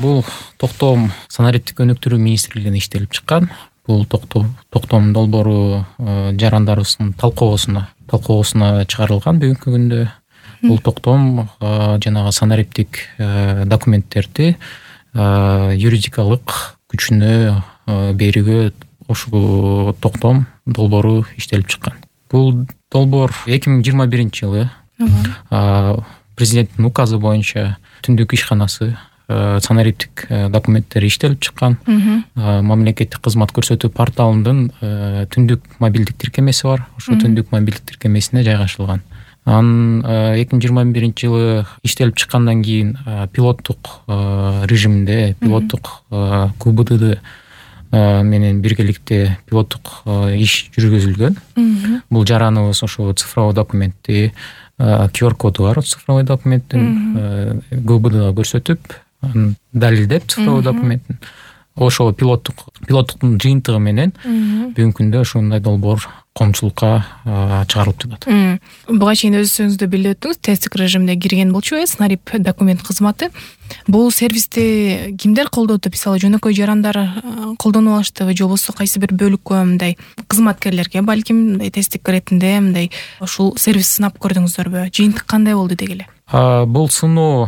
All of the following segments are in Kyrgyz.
Бул токтом санариптик өнүктүрүү министрлигинде иштелип чыккан. Бул токтом долбоору жарандарыбыздын талкуусуна чыгарылган бүгүнкү күндө. Бул токтом жанагы санариптик документтерди юридикалык күчүнө берүүгө ушул токтом долбоору иштелип чыккан. Бул долбоор 2021-жылы президенттин указы боюнча түндүк ишканасы санариптик документтери иштелип чыккан. Мамлекеттик кызмат көрсөтүү порталынын түндүк мобилдик тиркемеси бар. Ошол түндүк мобилдик тиркемесине жайгашылган. Анын 2021-жылы иштелип чыккандан кийин пилоттук режимде, пилоттук КУБД менен биргеликте пилоттук иш жүргүзүлгөн. Бул жараныбыз ошо цифровой документти, QR коду бар цифровой документтин КУБДга көрсөтүп, далилдеп цифровой документтин ошол пилоттуктун жыйынтыгы менен бүгүнкү күндө ушундай долбоор коомчулукка чыгарылып жатат. Буга чейин өзүңүз билип өттүңүз, тесттик режимде кирген болчу Санарип документ кызматы. Бул сервисти кимдер колдоду? Мисалы, жөнөкөй жарандар колдонуп алыштыбы, же болбосо кайсы бир бөлүккө мындай кызматкерлерге, балким мындай тесттик иретинде мындай ушул сервисти сынап көрдүңүздөрбү? Жыйынтык кандай болду дегеле? Бул сыноону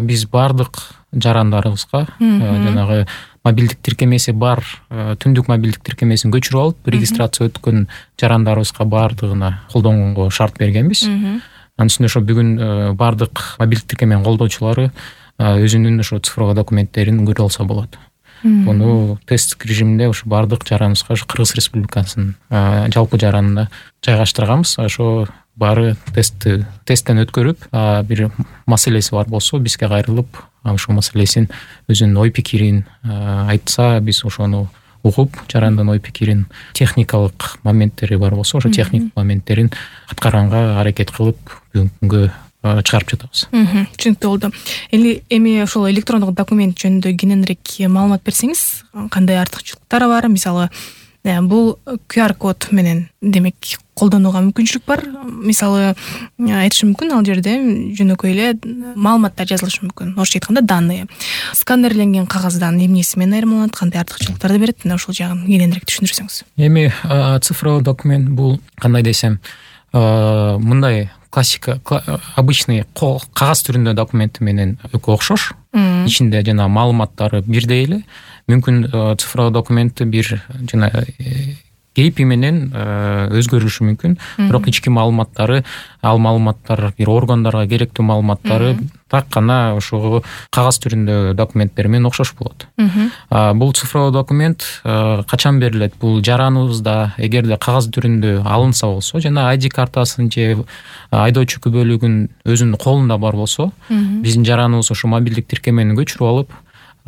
биз бардык жарандарыбызга жанагы мобилдик тиркемеси бар, түндүк мобилдик тиркемесин көчүрүп алып, регистрация өткөн жарандарыбызга бардыгына колдонгонго шарт бергенбиз. Анын үстүнө ошо бүгүн бардык мобилдик тиркеменин колдоочулары өзүнүн ошо цифровой документтерин көрө алса болот. Муну тесттик режимде ошо бардык жараныбызга Кыргыз Республикасынын жалпы жаранына жайгаштырганбыз. Ошо баары тесттен өткөрүп, бир маселеси бар болсо бизге кайрылып, ошол маселесин өзүнүн ой пикирин айтса, биз ошону угуп, жарандын ой пикирин, техникалык моменттери бар болсо, ошо техник моменттерин аткарганга аракет кылып бүгүнкү күнгө чыгарып жатабыз. Түшүнүктүү болду. Эми ошол электрондук документ жөнүндө кененирээк маалымат берсеңиз, кандай артыкчылыктары бар? Мисалы, бул QR код менен демек колдонууга мүмкүнчүлүк бар. Мисалы, айтышы мүмкүн, ал жерде жөнөкөй эле маалыматтар жазылышы мүмкүн. Орусча айтканда данные. Сканерленген кагаздан эмнеси менен айырмаланат, кандай артыкчылыктарды берет? Мына ошол жагын кененирээк түшүндүрсөңүз. Эми цифровой документ бул кандай десем, мындай классика, обычный кагаз түрүндө документи менен өкө окшош. Ичинде жана маалыматтары бирдей эле. Мүмкүн цифровой документти бир жана кейпи менен өзгөрүшү мүмкүн. Бирок ички маалыматтары, ал маалыматтар бир органдарга керектүү маалыматтары так гана ошого кагаз түрүндө документтер менен окшош болот. Бул цифровой документ качан берилет? Бул жараныбызда эгерде кагаз түрүндө алынса болсо, жана ID картасын же айдоочу күбөлүгүн өзүнүн колунда бар болсо, биздин жараныбыз ошо мобилдик тиркемени көчүрүп алып,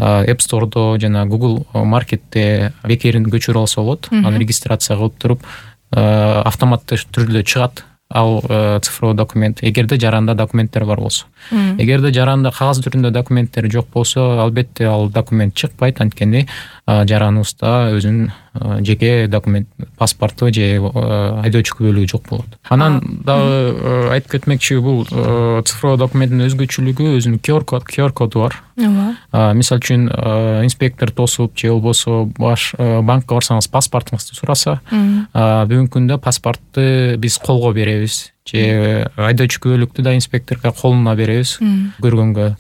App Store'до жана Google Market'те бекерин көчүрүп алса болот. Аны регистрация кылып туруп, автоматтуу түрдө чыгат ал цифровой документ, эгерде жаранда документтер бар болсо. Эгерде жаранда кагаз түрүндө документтер жок болсо, албетте ал документ чыкпайт, анткени жараныбызда өзүнүн жеке документ, паспорту же айдоочу күбөлүгү жок болот. Анан дагы айтып кетмекчи, бул цифровой документтин өзгөчөлүгү өзүнүн QR коду бар. Мисалы үчүн инспектор тосуп же болбосо банкка барсаңыз паспортуңузду сураса, бүгүнкү күндө паспортты биз колго беребиз, же айдоочу күбөлүктү да инспекторго колуна беребиз көргөнгө.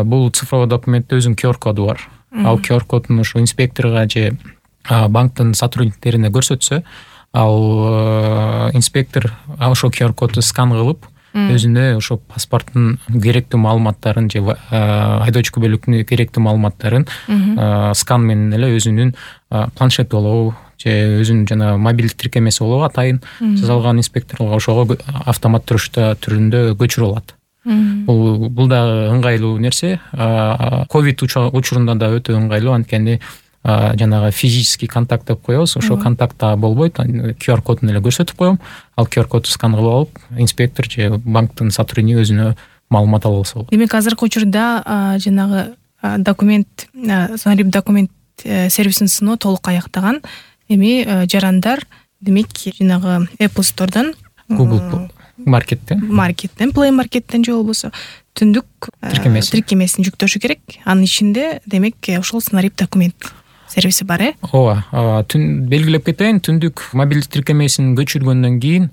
Бул цифровой документте өзүнүн QR коду бар. Ал QR кодун ошо инспекторго же банктын сотрудниктерине көрсөтсө, ал инспектор ошол QR кодду скан кылып, өзүнө ошо паспорттун керектүү маалыматтарын же айдоочу күбөлүктүн керектүү маалыматтарын скан менен эле өзүнүн планшет болобу же өзүнүн жана мобилдик тиркемеси болобу атайын жасалган инспекторго ошого автомат түрүндө көчүрүп алат. Бул да ыңгайлуу нерсе. Ковид учурунда да өтө ыңгайлуу, анткени жанагы физический контакт деп коебуз, ошо контактта болбойт. QR кодун эле көрсөтүп коем, ал QR кодду скан кылып алып, инспектор же банктын сотрудниги өзүнө маалымат ала алса болот. Демек, азыркы учурда жанагы документ, Санарип документ сервисин сыноо толук аяктаган. Эми жарандар демек жанагы Apple Store'дан маркеттен Play маркеттен же болбосо түндүк тиркемесин жүктөшү керек. Анын ичинде демек ошол Снариб документ сервиси бар. Ооба, белгилеп кетейин, түндүк мобилдик тиркемесин көчүргөндөн кийин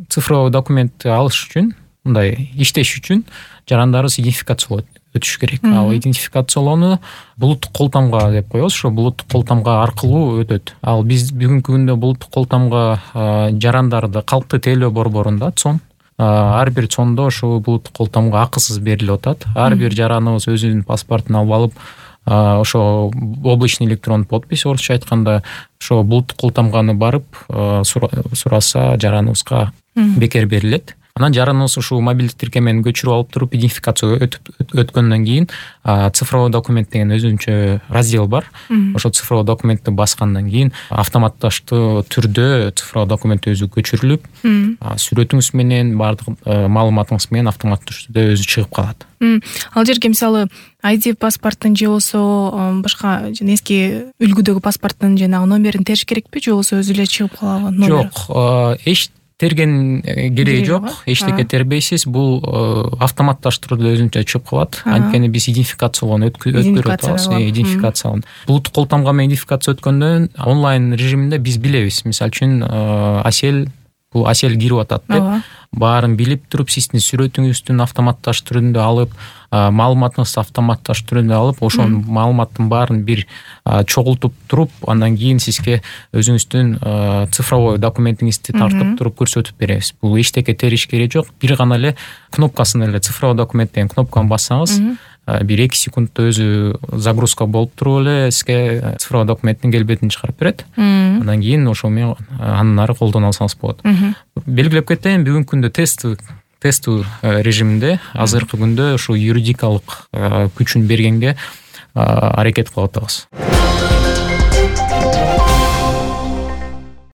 цифровой документти алыш үчүн, мындай иштеш үчүн жарандарыбыз идентификациялоо өтүш керек. Ал идентификациялоону булуттук колтамга деп коебуз. Ошо булуттук колтамга аркылуу өтөт. Ал биз бүгүнкү күндө булуттук колтамга жарандарды калктуу тейлөө борборунда цон, ар бир цондо ошол булуттук колтамга акысыз берилип атат. Ар бир жараныбыз өзүнүн паспортун алып алып, ошо облачный электронный подпись, орусча айтканда, ошо булуттук колтамганы барып сураса жараныбызга бекер берилет. Анан жараныбыз ушул мобилдик тиркемени көчүрүп алып туруп идентификация өткөндөн кийин цифровой документ деген өзүнчө раздел бар. Ошо цифровой документти баскандан кийин автоматташтуу түрдө цифровой документ өзү көчүрүлүп, сүрөтүңүз менен баардык маалыматыңыз менен автоматтуу түрдө өзү чыгып калат. Ал жерге мисалы ID паспорттун же болбосо башка эски үлгүдөгү паспорттун жанагы номерин териш керекпи, же болбосо өзү эле чыгып калабы? Жок, эч терген кереги жок, эчтеке тербейсиз. Бул автоматташтырууду өзүнчө чыгып калат. Анткени биз идентификациялоону өткөрүп атабыз. Идентификациялоо. Булуттук колтамга менен идентификация өткөндөн онлайн режиминде биз билебиз. Мисалы үчүн Асель кирип атат деп баарын билип туруп, сиздин сүрөтүңүздүн автоматташ түрүндө алып, маалыматыңызды автоматташ түрүндө алып, ошол маалыматтын баарын бир чогултуп туруп, андан кийин сизге өзүңүздүн цифровой документиңизди тартып туруп көрсөтүп беребиз. Бул эчтеке териш кереги жок. Бир гана эле кнопкасын эле, цифровой документ деген кнопканы бассаңыз, бир 2 секундта өзү загрузка болуп туруп эле сизге цифровой документтин келбетин чыгарып берет. Андан кийин ошол менен андан ары колдоно алсаңыз болот. Белгилеп кетейин, бүгүнкү күндө тестүү режиминде азыркы күндө ушул юридикалык күчүн бергенге аракет кылып атабыз.